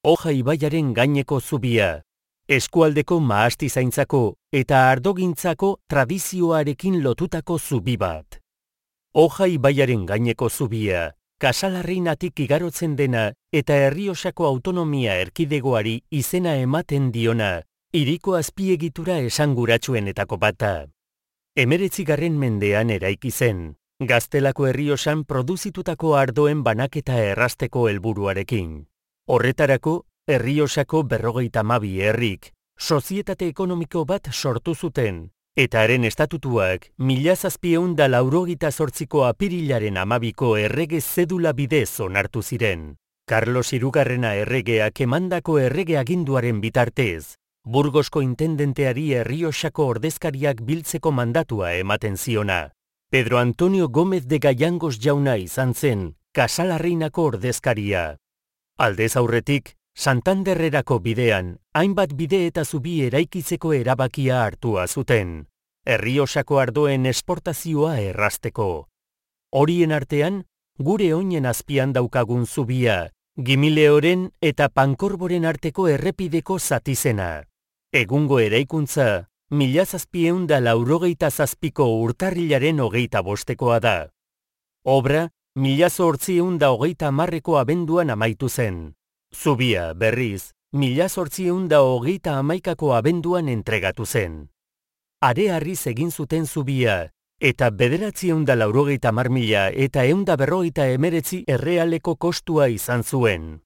Oja ibaiaren gaineko zubia. Eskualdeko mahastizaintzako eta ardogintzako tradizioarekin lotutako zubi bat. Oja ibaiaren gaineko zubia, Kasalarreinatik igarotzen dena eta Errioxako autonomia erkidegoari izena ematen diona, hiriko azpiegitura esanguratsuenetako bata. 19. mendean eraiki zen, Gaztelako Errioxan produzitutako ardoen banaketa errazteko helburuarekin. Horretarako, Errioxako 52 herrik, sozietate ekonomiko bat sortu zuten, eta haren estatutuak 1788ko apirilaren 12ko errege zedula bidez onartu ziren. Carlos Hirugarrena erregeak emandako errege aginduaren bitartez, Burgosko intendenteari Errioxako ordezkariak biltzeko mandatua ematen ziona. Pedro Antonio Gómez de Gayangos jauna izan zen, Kasalarreinako ordezkaria. Aldez aurretik, Santanderrerako bidean, hainbat bide eta zubi eraikitzeko erabakia hartua zuten, Errioxako ardoen esportazioa errazteko. Horien artean, gure oinen azpian daukagun zubia, Gimileoren eta Pankorboren arteko errepideko zatizena. Egungo eraikuntza, 1787ko urtarrilaren 25koa da. Obra, 1830ko abenduan amaitu zen. Zubia, berriz, 1831ko abenduan entregatu zen. Areharriz egin zuten zubia, eta 980.000 eta 149 errealeko kostua izan zuen.